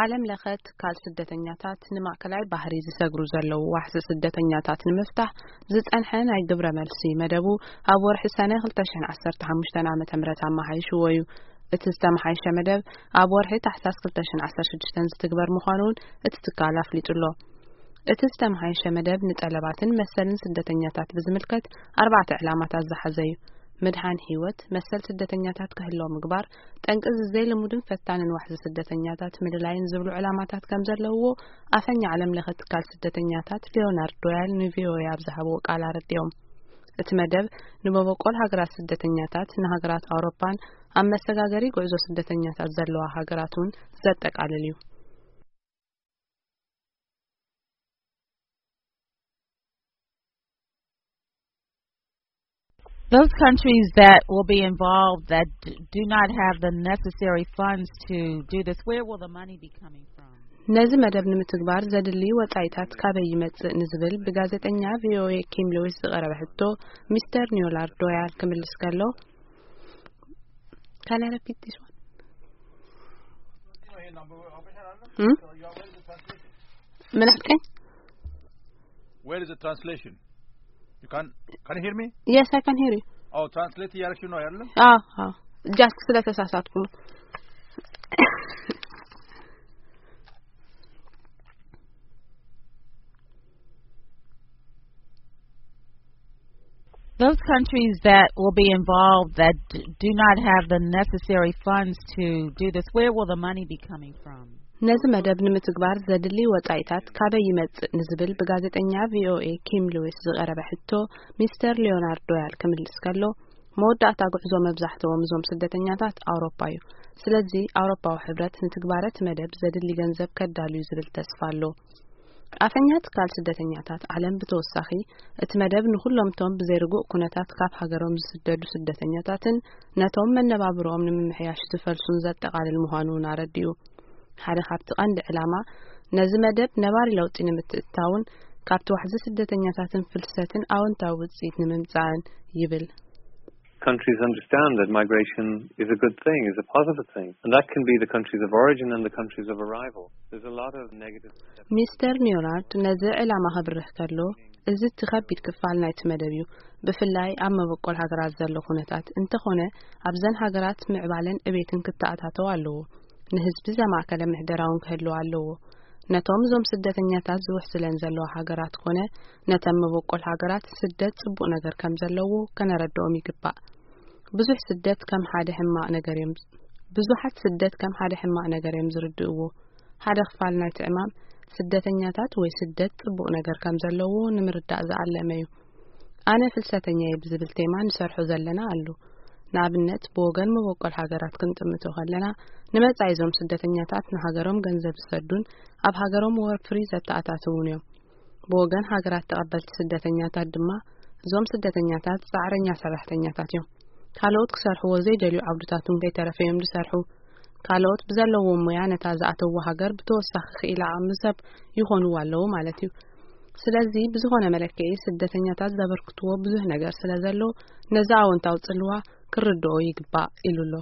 ዓለም ለኸ ትካል ስደተኛታት ንማእከላይ ባህሪ ዝሰግሩ ዘለዉ ዋሕዚ ስደተኛታት ንምፍታሕ ዝጸንሐ ናይ ግብረ መልሲ መደቡ ኣብ ወርሒ ሰነ ክልተ ሽሕን ዓሰርተ ሓሙሽተን ዓመተ ምህረት ኣመሓይሽዎ እዩ። እቲ ዝተመሓየሸ መደብ ኣብ ወርሒ ታሕሳስ ክልተ ሽሕን ዓሰርተ ሽዱሽተን ዝትግበር ምዃኑ እውን እቲ ትካል ኣፍሊጡ ኣሎ። እቲ ዝተመሓየሸ መደብ ንጠለባትን መሰልን ስደተኛታት ብዝምልከት ኣርባዕተ ዕላማታት ዝሓዘ እዩ። ምድሓን ህይወት፣ መሰል ስደተኛታት ክህለው ምግባር፣ ጠንቂ እዚ ዘይልሙድን ፈታንን ዋሕዚ ስደተኛታት ምልላይን ዝብሉ ዕላማታት ከም ዘለውዎ ኣፈኛ ዓለም ለኸ ትካል ስደተኛታት ሊዮናርድ ዶያል ንቪኦኤ ኣብ ዝሃብዎ ቃል ኣረዲኦም። እቲ መደብ ንመበቆል ሃገራት ስደተኛታት ንሃገራት ኣውሮፓን ኣብ መሰጋገሪ ጉዕዞ ስደተኛታት ዘለዋ ሃገራት እውን ዘጠቃልል እዩ። Those countries that will be involved that d- do not have the necessary funds to do this, where will the money be coming from? ነዚ መደብ ንምትግባር ዘድሊ ወጻኢታት ካበይ ይመጽእ ንዝብል ብጋዜጠኛ ቪኦኤ ኪም ሉዊስ ዝቐረበ ሕቶ ሚስተር ኒዮላርድ ዶያል ክምልስ ከሎ፣ Can I repeat this one? Hmm? ምን አልከኝ? Where is the translation? You can can you hear me? Yes, I can hear you. Oh, translate እያደረግሽ ነው አይደለም? አዎ አዎ፣ just ስለተሳሳትኩ ነው። Those countries that will be involved that d- do not have the necessary funds to do this, where will the money be coming from? ነዚ መደብ ንምትግባር ዘድሊ ወጻኢታት ካበይ ይመጽእ ንዝብል ብጋዜጠኛ ቪኦኤ ኪም ሉዊስ ዝቐረበ ሕቶ ሚስተር ሊዮናርድ ዶያል ክምልስ ከሎ፣ መወዳእታ ጉዕዞ መብዛሕትኦም እዞም ስደተኛታት ኣውሮፓ እዩ። ስለዚ ኣውሮፓዊ ሕብረት ንትግባረ እቲ መደብ ዘድሊ ገንዘብ ከዳልዩ ዝብል ተስፋ ኣሎ። ኣፈኛ ትካል ስደተኛታት ዓለም ብተወሳኺ እቲ መደብ ንኹሎም እቶም ብዘይርጉእ ኩነታት ካብ ሃገሮም ዝስደዱ ስደተኛታትን ነቶም መነባብሮኦም ንምምሕያሽ ዝፈልሱን ዘጠቓልል ምዃኑ እውን ኣረዲኡ። ሓደ ካብቲ ቀንዲ ዕላማ ነዚ መደብ ነባሪ ለውጢ ንምትእትታውን ካብቲ ዋሕዚ ስደተኛታትን ፍልሰትን ኣወንታዊ ውፅኢት ንምምፃእን ይብል። Countries understand that migration is a good thing, is a positive thing, and that can be the countries of origin and the countries of arrival. There's a lot of negative. ሚስተር ኒዮናርድ ነዚ ዕላማ ከብርህ ከሎ፣ እዚ እቲ ከቢድ ክፋል ናይቲ መደብ እዩ፣ ብፍላይ ኣብ መበቆል ሃገራት ዘሎ ኩነታት። እንተኾነ ኣብዘን ሃገራት ምዕባለን ዕቤትን ክተኣታተው ኣለዎ። ንህዝቢ ዘማእከለ ምሕደራውን ክህልው ኣለዎ። ነቶም እዞም ስደተኛታት ዝውሕስለን ዘለዋ ሃገራት ኮነ ነተን መበቆል ሃገራት ስደት ጽቡቕ ነገር ከም ዘለዎ ከነረድኦም ይግባእ። ብዙሕ ስደት ከም ሓደ ሕማቕ ነገር እዮም ብዙሓት ስደት ከም ሓደ ሕማቕ ነገር እዮም ዝርድእዎ። ሓደ ክፋል ናይቲ ዕማም ስደተኛታት ወይ ስደት ጽቡቕ ነገር ከም ዘለዎ ንምርዳእ ዝኣለመ እዩ። ኣነ ፍልሰተኛ እየ ብዝብል ቴማ ንሰርሖ ዘለና ኣሉ። ንኣብነት ብወገን መበቆል ሃገራት ክንጥምቶ ከለና ንመጻኢ እዞም ስደተኛታት ንሃገሮም ገንዘብ ዝሰዱን ኣብ ሃገሮም ወፍሪ ዘተኣታትውን እዮም። ብወገን ሃገራት ተቐበልቲ ስደተኛታት ድማ እዞም ስደተኛታት ጻዕረኛ ሰራሕተኛታት እዮም። ካልኦት ክሰርሕዎ ዘይደልዩ ዓውድታት እውን ከይተረፈ እዮም ዝሰርሑ። ካልኦት ብዘለዎም ሞያ ነታ ዝኣተዎ ሃገር ብተወሳኺ ክኢላ ዓቕሚ ሰብ ይኾንዋ ኣለዉ ማለት እዩ። ስለዚ ብዝኾነ መለክዒ ስደተኛታት ዘበርክትዎ ብዙሕ ነገር ስለ ዘሎ ነዚ ኣወንታዊ ጽልዋ ክርድኦ ይግባእ ኢሉ ኣሎ።